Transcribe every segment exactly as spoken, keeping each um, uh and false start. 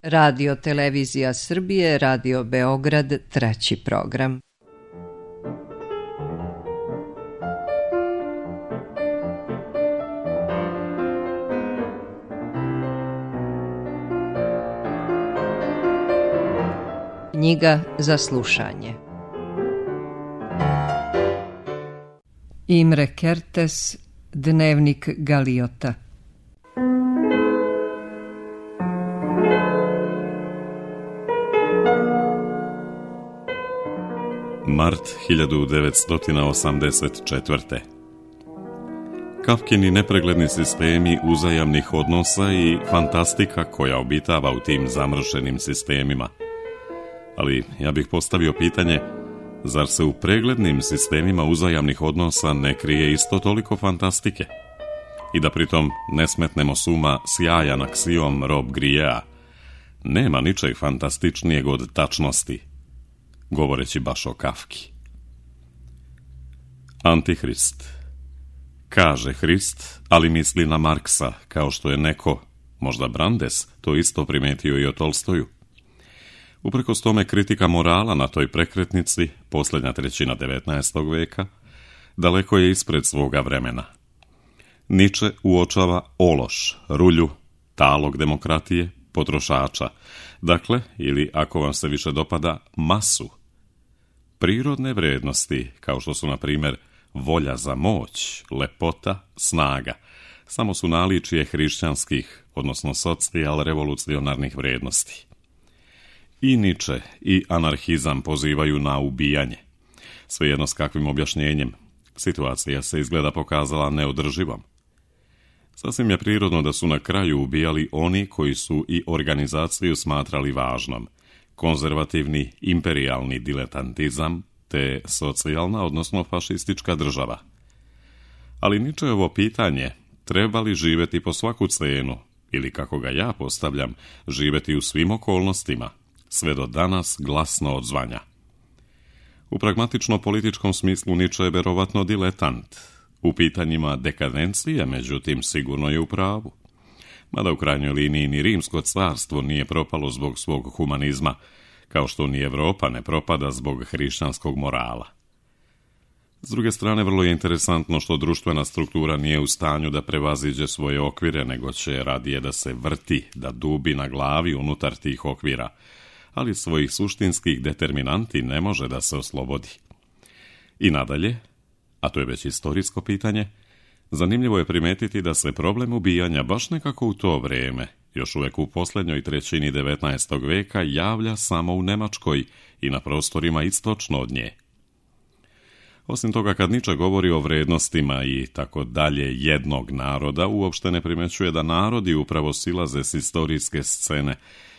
Radio Televizija Srbije, Radio Beograd, treći program. Knjiga za slušanje. Imre Kertész, Dnevnik Galiota. Mart hiljadu devetsto osamdeset četvrte. Kafkini nepregledni sistemi uzajamnih odnosa i fantastika koja obitava u tim zamršenim sistemima. Ali ja bih postavio pitanje, zar se u preglednim sistemima uzajamnih odnosa ne krije isto toliko fantastike? I da pritom ne smetnemo s uma sjajan aksiom Rob Griea, nema ničeg fantastičnijeg od tačnosti, govoreći baš o Kafki. Antihrist. Kaže Hrist, ali misli na Marksa, kao što je neko, možda Brandes, to isto primetio i o Tolstoju. Uprkos tome kritika morala na toj prekretnici, posljednja trećina devetnaestog veka, daleko je ispred svoga vremena. Nietzsche uočava ološ, rulju, talog demokratije, potrošača, dakle, ili ako vam se više dopada, masu. Prirodne vrijednosti, kao što su na primjer volja za moć, lepota, snaga, samo su naličje hrišćanskih, odnosno socijal-revolucionarnih vrijednosti. I Nietzsche i anarhizam pozivaju na ubijanje. Svejedno s kakvim objašnjenjem, situacija se izgleda pokazala neodrživom. Sasvim je prirodno da su na kraju ubijali oni koji su i organizaciju smatrali važnom, konzervativni imperijalni diletantizam te socijalna, odnosno fašistička država. Ali Nietzscheovo pitanje, treba li živjeti po svaku cenu, ili kako ga ja postavljam, živjeti u svim okolnostima, sve do danas glasno odzvanja. U pragmatično-političkom smislu Nietzsche je verovatno diletant. U pitanjima dekadencije, međutim, sigurno je u pravu. Mada u krajnjoj liniji ni Rimsko carstvo nije propalo zbog svog humanizma, kao što ni Evropa ne propada zbog hrišćanskog morala. S druge strane, vrlo je interesantno što društvena struktura nije u stanju da prevaziđe svoje okvire, nego će radije da se vrti, da dubi na glavi unutar tih okvira, ali svojih suštinskih determinanti ne može da se oslobodi. I nadalje, a to je već istorijsko pitanje, zanimljivo je primetiti da se problem ubijanja baš nekako u to vrijeme, još uvijek u posljednjoj trećini devetnaestog veka, javlja samo u Njemačkoj i na prostorima istočno od nje. Osim toga, kad Nietzsche govori o vrijednostima i tako dalje jednog naroda, uopšte ne primećuje da narodi upravo silaze s historijske scene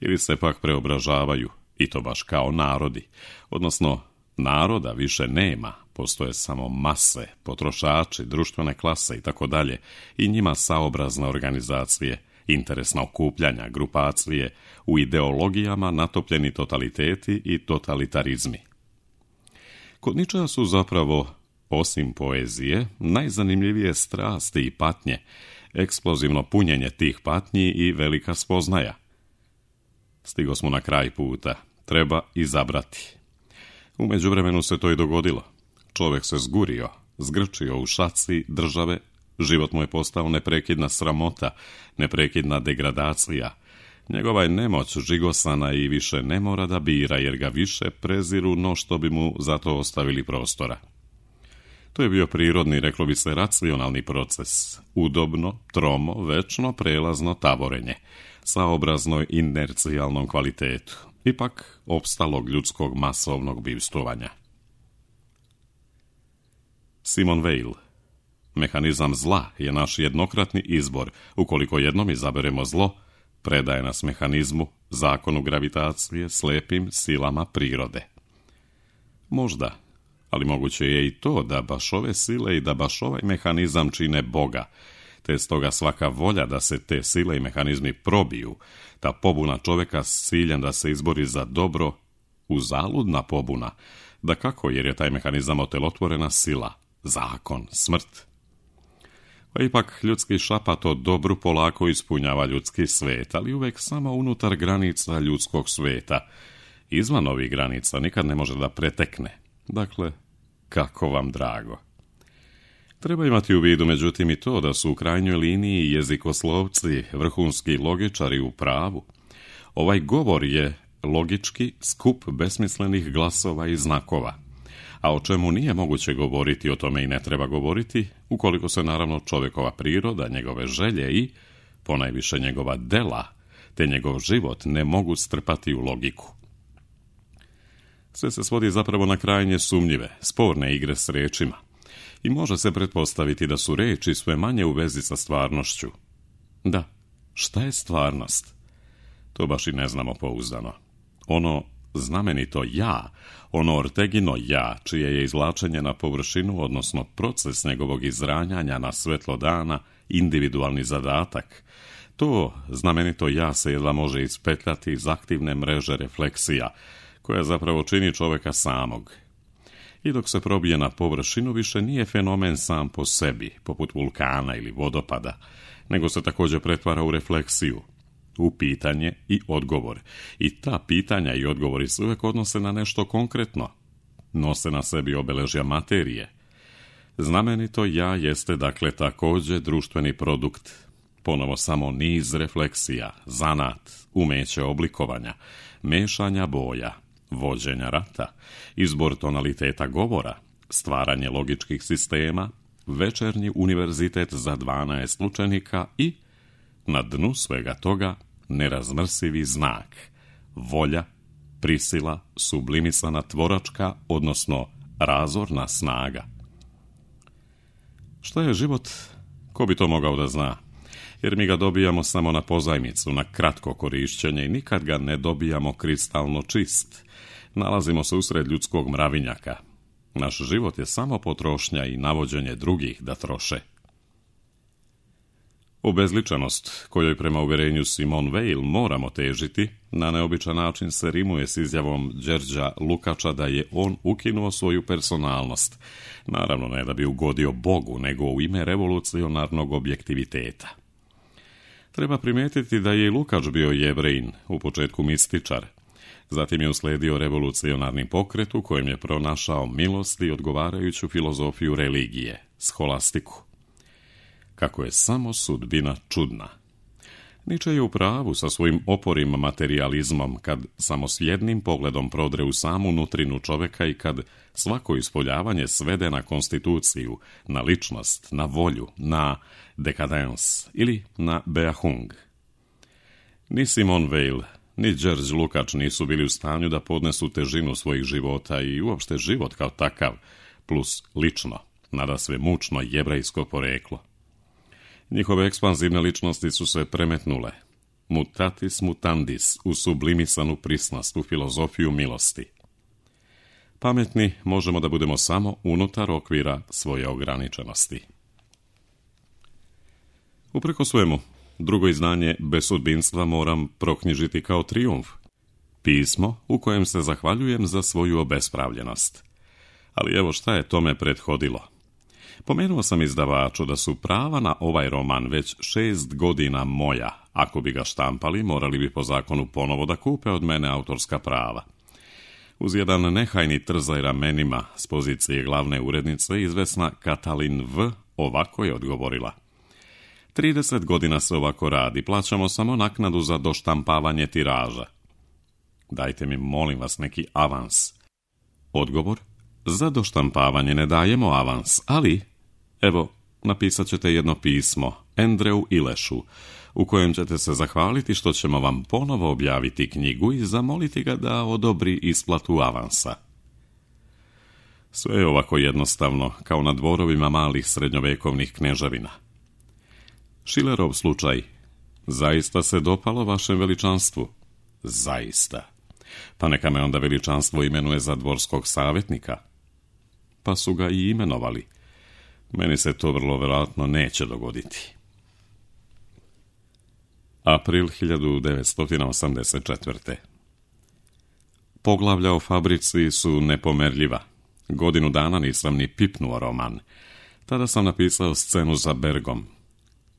ili se pak preobražavaju, i to baš kao narodi, odnosno naroda više nema, postoje samo mase, potrošači, društvene klase i tako dalje, i njima saobrazne organizacije, interesna okupljanja, grupacije, u ideologijama natopljeni totaliteti i totalitarizmi. Kod Nietzschea su zapravo, osim poezije, najzanimljivije strasti i patnje, eksplozivno punjenje tih patnji i velika spoznaja. Stigo smo na kraj puta, treba izabrati. U međuvremenu se to i dogodilo. Čovjek se zgurio, zgrčio u šaci države, život mu je postao neprekidna sramota, neprekidna degradacija. Njegova je nemoć žigosana i više ne mora da bira, jer ga više preziru no što bi mu za to ostavili prostora. To je bio prirodni, reklo bi se, racionalni proces, udobno, tromo, večno, prelazno tavorenje, saobrazno inercijalnom kvalitetu, ipak opstalog ljudskog masovnog bivstvovanja. Simone Weil. Mehanizam zla je naš jednokratni izbor. Ukoliko jednom izaberemo zlo, predaje nas mehanizmu, zakonu gravitacije, slepim silama prirode. Možda, ali moguće je i to da baš ove sile i da baš ovaj mehanizam čine Boga, te stoga svaka volja da se te sile i mehanizmi probiju, ta pobuna čovjeka s ciljem da se izbori za dobro, uzaludna pobuna, da kako, jer je taj mehanizam otelotvorena sila, zakon, smrt. Pa ipak ljudski šapat o dobru polako ispunjava ljudski svet, ali uvek samo unutar granica ljudskog sveta. Izvan ovih granica nikad ne može da pretekne. Dakle, kako vam drago. Treba imati u vidu, međutim, i to da su u krajnjoj liniji jezikoslovci, vrhunski logičari u pravu. Ovaj govor je logički skup besmislenih glasova i znakova, a o čemu nije moguće govoriti, o tome i ne treba govoriti, ukoliko se naravno čovjekova priroda, njegove želje i, ponajviše njegova dela, te njegov život ne mogu strpati u logiku. Sve se svodi zapravo na krajnje sumnjive, sporne igre s rečima i može se pretpostaviti da su reči sve manje u vezi sa stvarnošću. Da, šta je stvarnost? To baš i ne znamo pouzdano. Ono znamenito ja, ono Ortegino ja, čije je izvlačenje na površinu, odnosno proces njegovog izranjanja na svetlo dana, individualni zadatak, to znamenito ja se jedva može ispetljati iz aktivne mreže refleksija, koja zapravo čini čovjeka samog. I dok se probije na površinu, više nije fenomen sam po sebi, poput vulkana ili vodopada, nego se također pretvara u refleksiju, u pitanje i odgovor. I ta pitanja i odgovori se uvijek odnose na nešto konkretno, nose na sebi obeležja materije. Znamenito ja jeste dakle također društveni produkt, ponovo samo niz refleksija, zanat, umeće oblikovanja, mešanja boja, vođenja rata, izbor tonaliteta govora, stvaranje logičkih sistema, večernji univerzitet za dvanaest učenika i, na dnu svega toga, nerazmrsivi znak, volja, prisila, sublimisana tvoračka, odnosno razorna snaga. Šta je život? Ko bi to mogao da zna? Jer mi ga dobijamo samo na pozajmicu, na kratko korišćenje i nikad ga ne dobijamo kristalno čist. Nalazimo se usred ljudskog mravinjaka. Naš život je samo potrošnja i navođenje drugih da troše. Obezličenost, kojoj prema uvjerenju Simone Weil moramo težiti, na neobičan način se rimuje s izjavom Đerđa Lukača da je on ukinuo svoju personalnost. Naravno ne da bi ugodio Bogu, nego u ime revolucionarnog objektiviteta. Treba primijetiti da je i Lukač bio Jevrejin, u početku mističar. Zatim je usledio revolucionarni pokret u kojem je pronašao milost i odgovarajuću filozofiju religije, scholastiku. Kako je samo sudbina čudna. Nietzsche je u pravu sa svojim oporim materijalizmom kad samo s jednim pogledom prodre u samu nutrinu čovjeka i kad svako ispoljavanje svede na konstituciju, na ličnost, na volju, na dekadens ili na Beahung. Ni Simone Weil, ni Đerđ Lukač nisu bili u stanju da podnesu težinu svojih života i uopšte život kao takav, plus lično, nadasve mučno jevrejsko poreklo. Njihove ekspanzivne ličnosti su se premetnule, mutatis mutandis, u sublimisanu prisnost, u filozofiju milosti. Pametni možemo da budemo samo unutar okvira svoje ograničenosti. Upreko svemu, drugo izdanje bez sudbinstva moram proknjižiti kao trijumf. Pismo u kojem se zahvaljujem za svoju obespravljenost. Ali evo šta je tome prethodilo. Pomenuo sam izdavaču da su prava na ovaj roman već šest godina moja. Ako bi ga štampali, morali bi po zakonu ponovo da kupe od mene autorska prava. Uz jedan nehajni trzaj ramenima s pozicije glavne urednice, izvesna Katalin V. ovako je odgovorila. trideset godina se ovako radi, plaćamo samo naknadu za doštampavanje tiraža. Dajte mi, molim vas, neki avans. Odgovor? Za doštampavanje ne dajemo avans, ali, evo, napisat ćete jedno pismo Andreu Ilešu, u kojem ćete se zahvaliti što ćemo vam ponovo objaviti knjigu i zamoliti ga da odobri isplatu avansa. Sve je ovako jednostavno, kao na dvorovima malih srednjovekovnih kneževina. Šilerov slučaj. Zaista se dopalo vašem veličanstvu? Zaista. Pa neka me onda veličanstvo imenuje za dvorskog savjetnika. Pa su ga i imenovali. Meni se to vrlo vjerojatno neće dogoditi. April hiljadu devetsto osamdeset četvrte. Poglavlja o fabrici su nepomerljiva. Godinu dana nisam ni pipnuo roman. Tada sam napisao scenu za Bergom.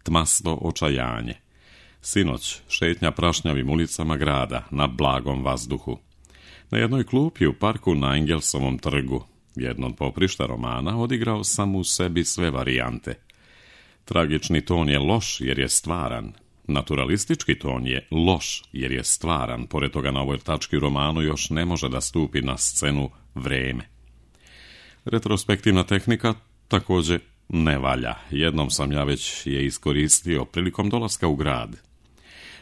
Tmasto očajanje. Sinoć šetnja prašnjavim ulicama grada na blagom vazduhu. Na jednoj klupi u parku na Engelsovom trgu, jedno od poprišta romana, odigrao sam u sebi sve varijante. Tragični ton je loš jer je stvaran. Naturalistički ton je loš jer je stvaran. Pored toga na ovoj tački u romanu još ne može da stupi na scenu vreme. Retrospektivna tehnika također ne valja. Jednom sam ja već je iskoristio prilikom dolaska u grad.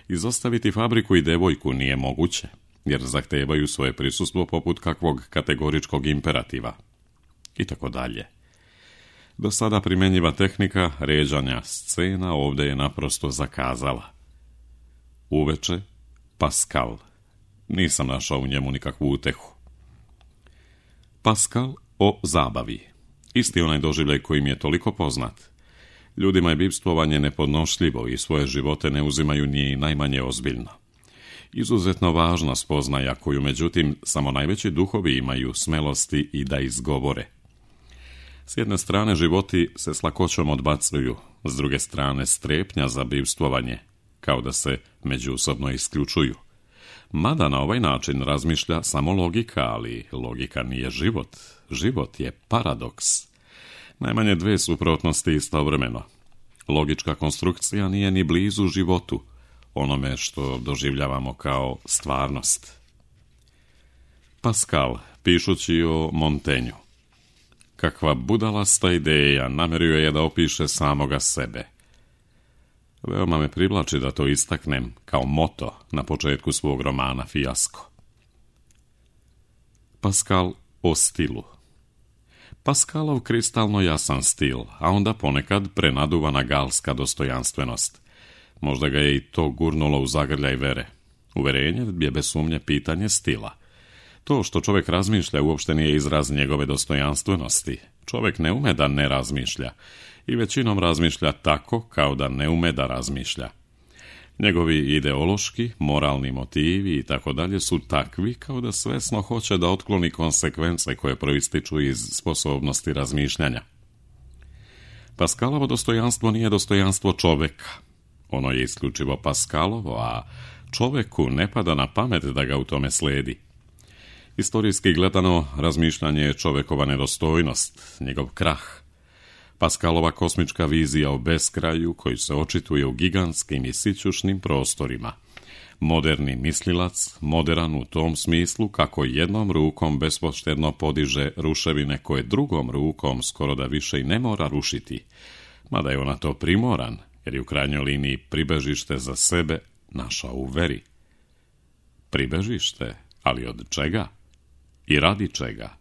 Izostaviti fabriku i devojku nije moguće, jer zahtevaju svoje prisustvo poput kakvog kategoričkog imperativa. I tako dalje. Do sada primjenjiva tehnika ređanja scena ovdje je naprosto zakazala. Uveče, Pascal. Nisam našao u njemu nikakvu utehu. Pascal o zabavi. Isti onaj doživljaj koji mi je toliko poznat. Ljudima je bivstvovanje nepodnošljivo i svoje živote ne uzimaju ni najmanje ozbiljno. Izuzetno važna spoznaja koju, međutim, samo najveći duhovi imaju smelosti i da izgovore. S jedne strane životi se s lakoćom odbacuju, s druge strane strepnja za bivstvovanje, kao da se međusobno isključuju. Mada na ovaj način razmišlja samo logika, ali logika nije život. Život je paradoks. Najmanje dve suprotnosti istovremeno. Logička konstrukcija nije ni blizu životu, onome što doživljavamo kao stvarnost. Pascal, pišući o Montaignu. Kakva budalasta ideja, namerio je da opiše samoga sebe. Veoma me privlači da to istaknem kao moto na početku svog romana Fijasko. Pascal o stilu. Pascalov kristalno jasan stil, a onda ponekad prenaduvana galska dostojanstvenost. Možda ga je i to gurnulo u zagrljaj vere. Uverenje je bez sumnje pitanje stila. To što čovjek razmišlja uopšte nije izraz njegove dostojanstvenosti. Čovjek ne ume da ne razmišlja i većinom razmišlja tako kao da ne ume da razmišlja. Njegovi ideološki, moralni motivi i tako dalje su takvi kao da svesno hoće da otkloni konsekvence koje proističu iz sposobnosti razmišljanja. Pascalovo dostojanstvo nije dostojanstvo čovjeka. Ono je isključivo Pascalovo, a čovjeku ne pada na pamet da ga u tome sledi. Istorijski gledano, razmišljanje je čovjekova nedostojnost, njegov krah. Pascalova kosmička vizija o beskraju koji se očituje u gigantskim i sićušnim prostorima. Moderni mislilac, moderan u tom smislu kako jednom rukom bespoštedno podiže ruševine koje drugom rukom skoro da više i ne mora rušiti, mada je ona to primoran, jer je u krajnjoj liniji pribežište za sebe našao u veri. Pribežište, ali od čega? I radi čega?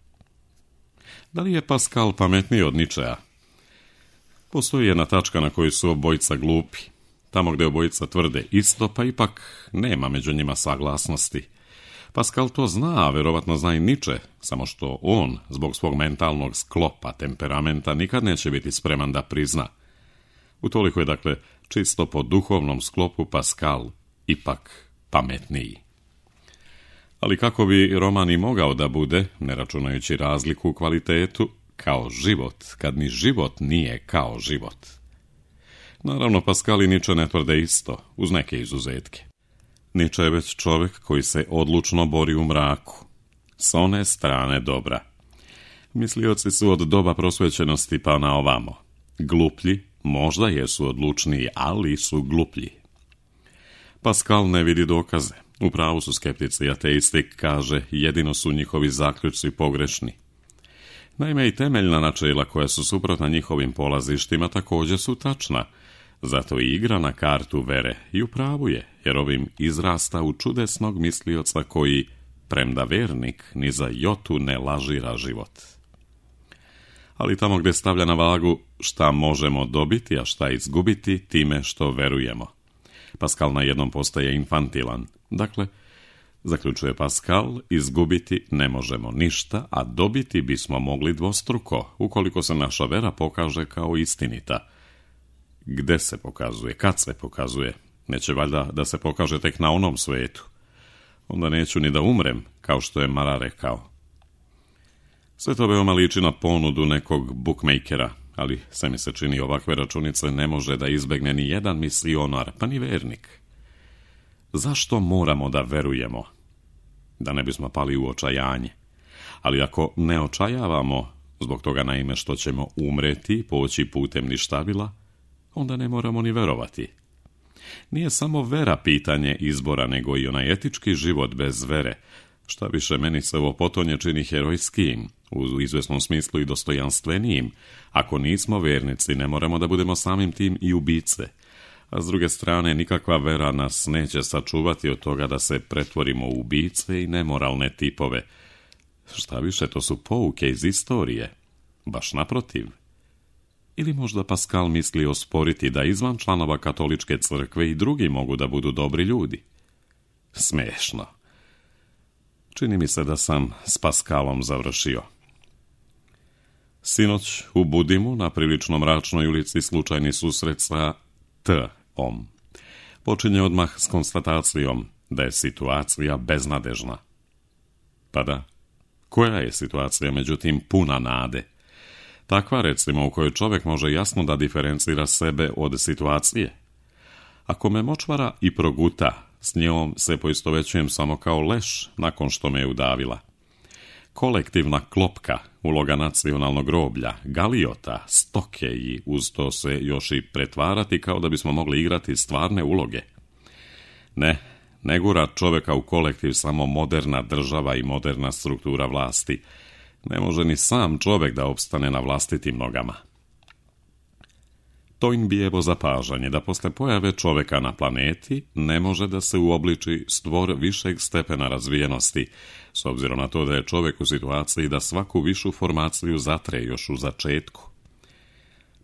Da li je Pascal pametniji od Ničea? Postoji jedna tačka na kojoj su obojica glupi. Tamo gdje obojica tvrde isto, pa ipak nema među njima saglasnosti. Pascal to zna, a verovatno zna i Niče, samo što on, zbog svog mentalnog sklopa, temperamenta, nikad neće biti spreman da prizna. Utoliko je, dakle, čisto po duhovnom sklopu Pascal ipak pametniji. Ali kako bi roman i mogao da bude, ne računajući razliku u kvalitetu, kao život, kad ni život nije kao život. Naravno, Pascal i Niče ne tvrde isto, uz neke izuzetke. Niče je već čovjek koji se odlučno bori u mraku, s one strane dobra. Mislioci su od doba prosvećenosti pa na ovamo. Gluplji, možda jesu odlučniji, ali su gluplji. Pascal ne vidi dokaze. U pravu su skeptici i ateisti, kaže, jedino su njihovi zaključci pogrešni. Naime, i temeljna načela koja su suprotna njihovim polazištima također su tačna, zato i igra na kartu vere i u pravu je, jer ovim izrasta u čudesnog mislioca koji, premda vernik, ni za jotu ne lažira život. Ali tamo gdje stavlja na vagu šta možemo dobiti, a šta izgubiti time što verujemo. Pascal na jednom postaje infantilan. Dakle, zaključuje Pascal, izgubiti ne možemo ništa, a dobiti bismo mogli dvostruko, ukoliko se naša vera pokaže kao istinita. Gde se pokazuje? Kad se pokazuje? Neće valjda da se pokaže tek na onom svetu. Onda neću ni da umrem, kao što je Mara rekao. Sve to veoma liči na ponudu nekog bookmakera. ali sve mi se čini ovakve računice ne može da izbegne ni jedan misionar, pa ni vernik. Zašto moramo da verujemo? Da ne bismo pali u očajanje. Ali ako ne očajavamo, zbog toga naime što ćemo umreti, poći putem ništavila, onda ne moramo ni verovati. Nije samo vera pitanje izbora, nego i onaj etički život bez vere. Šta više, meni se ovo potonje čini herojskim, u izvesnom smislu i dostojanstvenijim. Ako nismo vernici, ne moramo da budemo samim tim i ubice. A s druge strane, nikakva vera nas neće sačuvati od toga da se pretvorimo u ubice i nemoralne tipove. Šta više, to su pouke iz istorije. Baš naprotiv. Ili možda Pascal misli osporiti da izvan članova katoličke crkve i drugi mogu da budu dobri ljudi? Smešno. Čini mi se da sam s Pascalom završio. Sinoć u Budimu na prilično mračnoj ulici slučajni susret sa T-om. Počinje odmah s konstatacijom da je situacija beznadežna. Pa da, koja je situacija međutim puna nade? Takva recimo u kojoj čovjek može jasno da diferencira sebe od situacije. Ako me močvara i proguta, s njom se poistovećujem samo kao leš nakon što me je udavila. Kolektivna klopka, uloga nacionalnog groblja, galiota, stoke i uz to se još i pretvarati kao da bismo mogli igrati stvarne uloge. Ne, ne gura čovjeka u kolektiv samo moderna država i moderna struktura vlasti. Ne može ni sam čovjek da opstane na vlastitim nogama. To im bi evo zapažanje da posle pojave čovjeka na planeti ne može da se uobliči stvor višeg stepena razvijenosti, s obzirom na to da je čovjek u situaciji da svaku višu formaciju zatre još u začetku.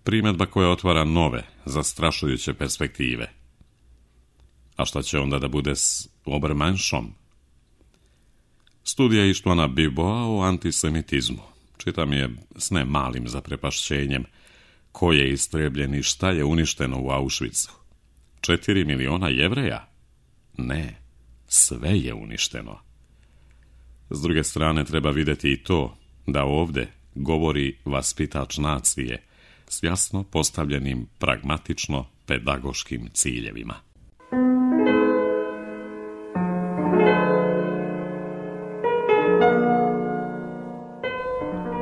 Primjedba koja otvara nove, zastrašujuće perspektive. A šta će onda da bude s Obermenschom? Studija Ištvana Biboa o antisemitizmu. Čitam je s ne malim zaprepašćenjem. Ko je istrebljen i šta je uništeno u Auschwitzu? Četiri miliona Jevreja? Ne, sve je uništeno. S druge strane treba vidjeti i to da ovdje govori vaspitač nacije s jasno postavljenim pragmatično-pedagoškim ciljevima.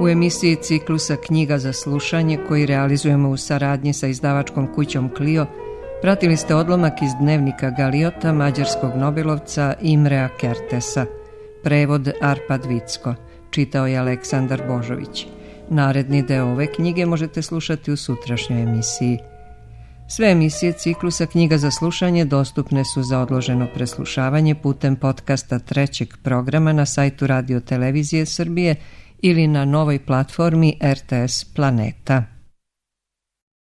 U emisiji ciklusa Knjiga za slušanje, koji realizujemo u saradnji sa izdavačkom kućom Clio, pratili ste odlomak iz dnevnika Galiota mađarskog nobelovca Imrea Kertesa. Prevod Arpad Vicko. Čitao je Aleksandar Božović. Naredni deo ove knjige možete slušati u sutrašnjoj emisiji. Sve emisije ciklusa Knjiga za slušanje dostupne su za odloženo preslušavanje putem podcasta trećeg programa na sajtu Radio Televizije Srbije ili na novoj platformi R T S Planeta.